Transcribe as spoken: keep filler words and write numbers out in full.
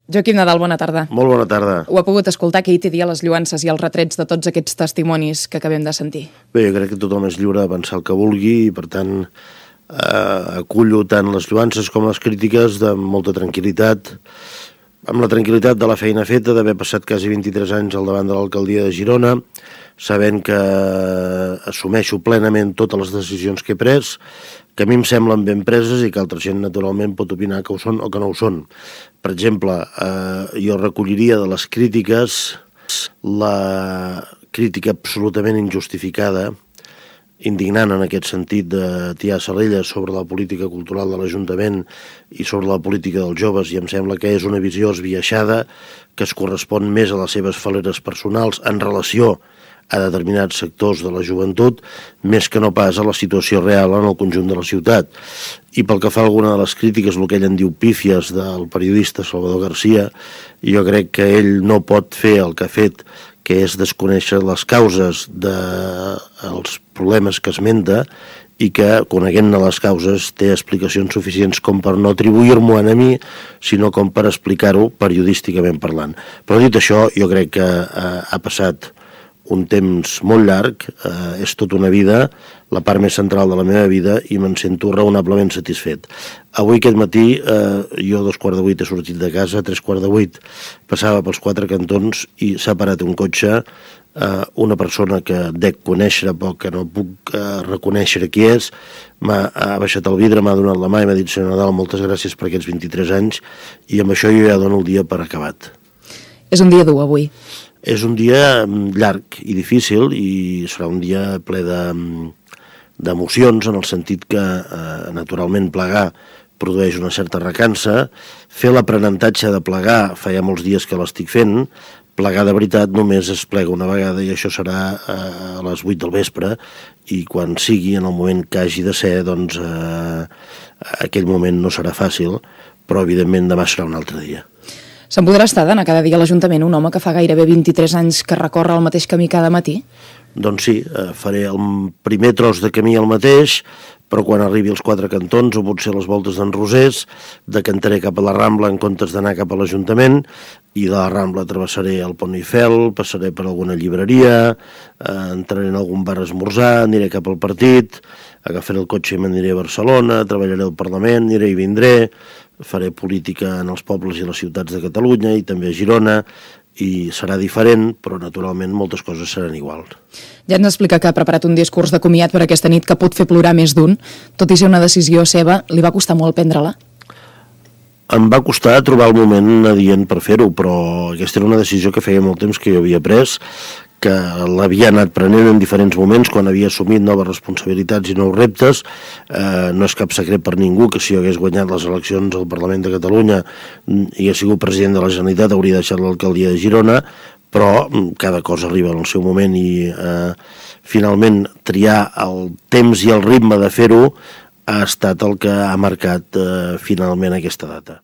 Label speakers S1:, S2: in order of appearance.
S1: Joaquim Nadal, bona tarda.
S2: Molt bona tarda.
S1: Ho ha pogut escoltar que ahir té dia les lluances i els retrets de tots aquests testimonis que acabem de sentir.
S2: Bé, jo crec que tothom és lliure de pensar el que vulgui i, per tant, eh, acullo tant les lluances com les crítiques de molta tranquil·litat, amb la tranquil·litat de la feina feta, d'haver passat quasi vint-i-tres anys al davant de l'alcaldia de Girona, sabent que assumeixo plenament totes les decisions que he pres, que a mi em semblen ben preses i que altra gent, naturalment, pot opinar que ho són o que no ho són. Per exemple, eh, jo recolliria de les crítiques la crítica absolutament injustificada, indignant en aquest sentit de tirar Salelles sobre la política cultural de l'Ajuntament i sobre la política dels joves, i em sembla que és una visió esbiaixada que es correspon més a les seves faleres personals en relació a determinats sectors de la joventut, més que no pas a la situació real en el conjunt de la ciutat. I pel que fa a alguna de les crítiques, el que ell en diu pífies del periodista Salvador Garcia, jo crec que ell no pot fer el que ha fet, que és desconèixer les causes dels problemes que esmenta i que, coneguent-ne les causes, té explicacions suficients com per no atribuir-m'ho a mi, sinó com per explicar-ho periodísticament parlant. Però dit això, jo crec que eh, ha passat un temps molt llarg, eh, és tota una vida, la part més central de la meva vida, i me'n sento raonablement satisfet. Avui aquest matí, eh, jo a dos quarts de vuit he sortit de casa, a tres quarts de vuit passava pels quatre cantons i s'ha parat un cotxe, eh, una persona que dec conèixer poc, que no puc eh, reconèixer qui és, m'ha ha baixat el vidre, m'ha donat la mà i m'ha dit: senyor Nadal, moltes gràcies per aquests vint-i-tres anys, i amb això jo ja dono el dia per acabat.
S1: És un dia dur avui.
S2: És un dia llarg i difícil i serà un dia ple d'emocions, en el sentit que, eh, naturalment, plegar produeix una certa recança. Fer l'aprenentatge de plegar fa ja molts dies que l'estic fent. Plegar de veritat només es plega una vegada i això serà a les vuit del vespre, i quan sigui, en el moment que hagi de ser, doncs eh, aquell moment no serà fàcil, però evidentment demà serà un altre dia.
S1: Se'n podrà estar d'anar cada dia a l'Ajuntament un home que fa gairebé vint-i-tres anys que recorre el mateix camí cada matí?
S2: Doncs sí, faré el primer tros de camí el mateix, però quan arribi als quatre cantons o potser les voltes d'en Rosés, decantaré cap a la Rambla en comptes d'anar cap a l'Ajuntament, i de la Rambla travessaré el Pont Eiffel, passaré per alguna llibreria, eh, entraré en algun bar a esmorzar, aniré cap al partit, agafaré el cotxe i m'aniré a Barcelona, treballaré al Parlament, aniré i vindré, faré política en els pobles i les ciutats de Catalunya i també a Girona, i serà diferent, però naturalment moltes coses seran iguals.
S1: Ja ens explica que ha preparat un discurs de comiat per aquesta nit que pot fer plorar més d'un. Tot i ser una decisió seva, li va costar molt prendre-la?
S2: Em va costar trobar el moment adient per fer-ho, però aquesta era una decisió que feia molt temps que jo havia pres, que l'havia anat prenent en diferents moments quan havia assumit noves responsabilitats i nous reptes. Eh, no és cap secret per ningú que si jo hagués guanyat les eleccions al Parlament de Catalunya i hagués sigut president de la Generalitat hauria deixat l'alcaldia de Girona, però cada cosa arriba en el seu moment i eh, finalment triar el temps i el ritme de fer-ho ha estat el que ha marcat eh, finalment aquesta data.